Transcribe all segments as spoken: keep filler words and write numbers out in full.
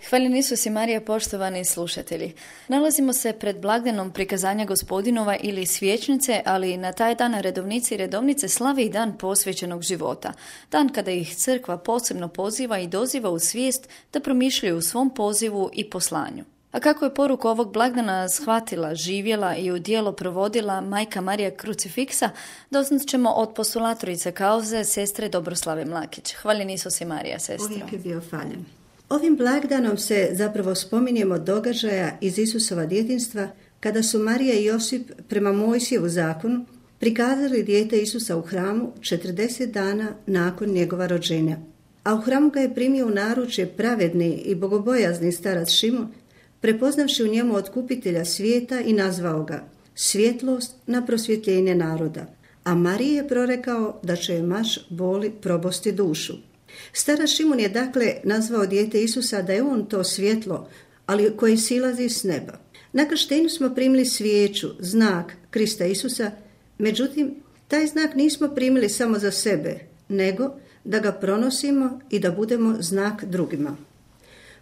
Hvaljeni Isus i Marija, poštovani slušatelji. Nalazimo se pred blagdanom prikazanja Gospodinova ili svječnice, ali na taj dan redovnici i redovnice slave i dan posvećenog života. Dan kada ih crkva posebno poziva i doziva u svijest da promišljaju u svom pozivu i poslanju. A kako je poruku ovog blagdana shvatila, živjela i u djelo provodila majka Marija Krucifiksa, doznat ćemo od postulatorice kauze, sestre Dobroslave Mlakić. Hvaljeni Isus i Marija, sestro. Uvijek je bio hvaljen. Ovim blagdanom se zapravo spominjemo događaja iz Isusova djetinjstva, kada su Marija i Josip prema Mojsijevu zakonu prikazali dijete Isusa u hramu četrdeset dana nakon njegova rođenja. A u hramu ga je primio u naručje pravedni i bogobojazni starac Šimon, prepoznavši u njemu otkupitelja svijeta i nazvao ga svjetlost na prosvjetljenje naroda. A Mariji je prorekao da će je maš boli probosti dušu. Starac Šimon je dakle nazvao dijete Isusa da je on to svjetlo, ali koje silazi s neba. Na krštenju smo primili svijeću, znak Krista Isusa, međutim, taj znak nismo primili samo za sebe, nego da ga pronosimo i da budemo znak drugima.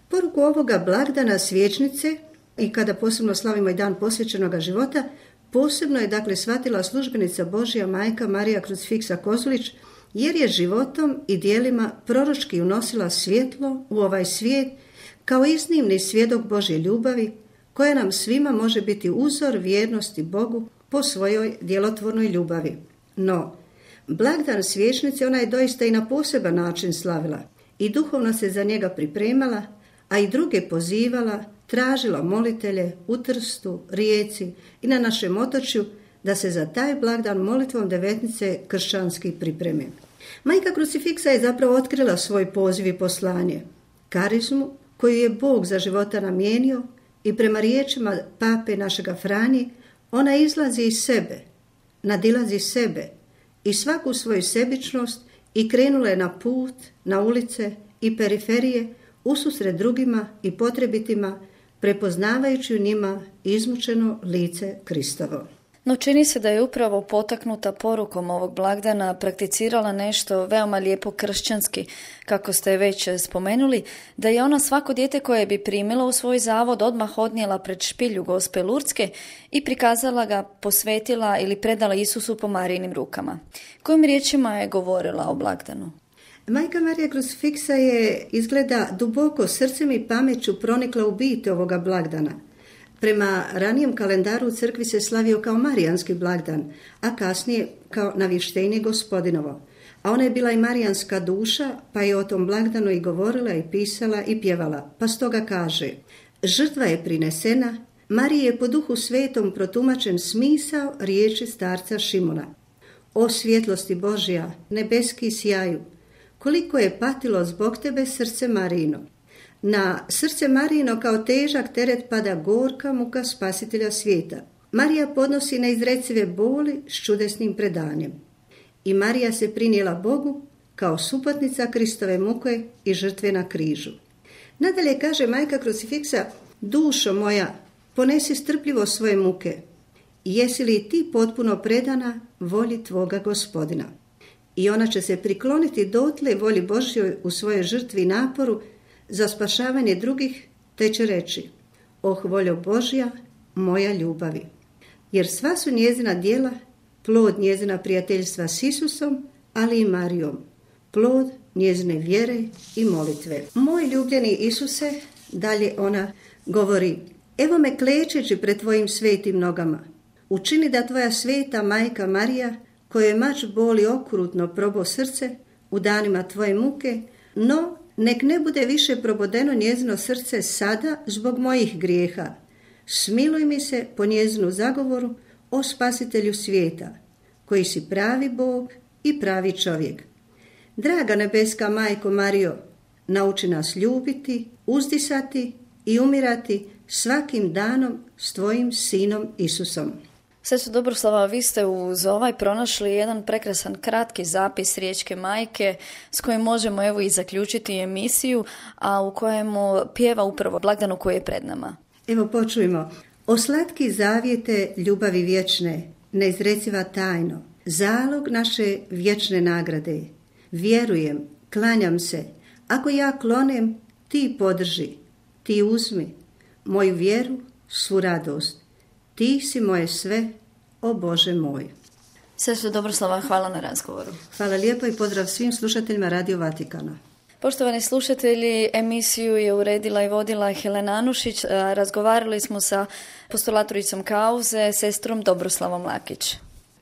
Poruku ovoga blagdana svječnice, i kada posebno slavimo i dan posvećenoga života, posebno je dakle shvatila službenica Božja majka Marija Krucifiksa Kozulić, jer je životom i djelima proročki unosila svjetlo u ovaj svijet kao iznimni svjedok Božje ljubavi, koja nam svima može biti uzor vjernosti Bogu po svojoj djelotvornoj ljubavi. No, blagdan svječnice ona je doista i na poseban način slavila i duhovno se za njega pripremala, a i druge pozivala, tražila molitelje u Trstu, Rijeci i na našem otočju da se za taj blagdan molitvom devetnice kršćanski pripreme. Majka Krucifiksa je zapravo otkrila svoj poziv i poslanje, karizmu koju je Bog za života namijenio, i prema riječima pape našega Franje, ona izlazi iz sebe, nadilazi sebe i svaku svoju sebičnost i krenula je na put, na ulice i periferije, ususret drugima i potrebitima, prepoznavajući u njima izmučeno lice Kristovo. No čini se da je upravo potaknuta porukom ovog blagdana prakticirala nešto veoma lijepo kršćanski, kako ste već spomenuli, da je ona svako dijete koje bi primila u svoj zavod odmah odnijela pred špilju Gospe Lurdske i prikazala ga, posvetila ili predala Isusu po Marijinim rukama. Kojim riječima je govorila o blagdanu? Majka Marija Krucifiksa je izgleda duboko srcem i pameću pronikla u bit ovoga blagdana. Prema ranijem kalendaru u crkvi se slavio kao marijanski blagdan, a kasnije kao navještenje Gospodinovo. A ona je bila i marijanska duša, pa je o tom blagdanu i govorila i pisala i pjevala. Pa stoga kaže: žrtva je prinesena, Mariji je po duhu svetom protumačen smisao riječi starca Šimona. O svjetlosti Božja, nebeski sjaju, koliko je patilo zbog tebe srce Marijino. Na srce Marijino kao težak teret pada gorka muka spasitelja svijeta. Marija podnosi neizrecive boli s čudesnim predanjem. I Marija se prinijela Bogu kao suputnica Kristove muke i žrtve na križu. Nadalje kaže majka Krucifiksa: dušo moja, ponesi strpljivo svoje muke. Jesi li ti potpuno predana volji tvoga Gospodina? I ona će se prikloniti dotle volji Božjoj u svojoj žrtvi i naporu za spašavanje drugih, te će reći: oh voljo Božja, moja ljubavi. Jer sva su njezina djela plod njezina prijateljstva s Isusom, ali i Marijom, plod njezine vjere i molitve. Moj ljubljeni Isuse, dalje ona govori, evo me klečeći pred tvojim svetim nogama. Učini da tvoja sveta majka Marija, kojoj mač boli okrutno probo srce u danima tvoje muke, no nek ne bude više probodeno njezino srce sada zbog mojih grijeha. Smiluj mi se po njezinu zagovoru, o spasitelju svijeta, koji si pravi Bog i pravi čovjek. Draga nebeska majko Marijo, nauči nas ljubiti, uzdisati i umirati svakim danom s tvojim sinom Isusom. Sestro Dobroslava, vi ste uz ovaj pronašli jedan prekrasan kratki zapis Riječke majke s kojim možemo evo i zaključiti emisiju, a u kojemu pjeva upravo blagdanu koji je pred nama. Evo počujmo. O slatki zavjete ljubavi vječne, neizreciva tajno, zalog naše vječne nagrade. Vjerujem, klanjam se, ako ja klonem, ti podrži, ti uzmi moju vjeru, svu radost. Ti si moje sve, o Bože moj. Sestra Dobroslava, hvala na razgovoru. Hvala lijepo i pozdrav svim slušateljima Radio Vatikana. Poštovani slušatelji, emisiju je uredila i vodila Helena Anušić. Razgovarali smo sa postulatoricom kauze, sestrom Dobroslavom Lakić.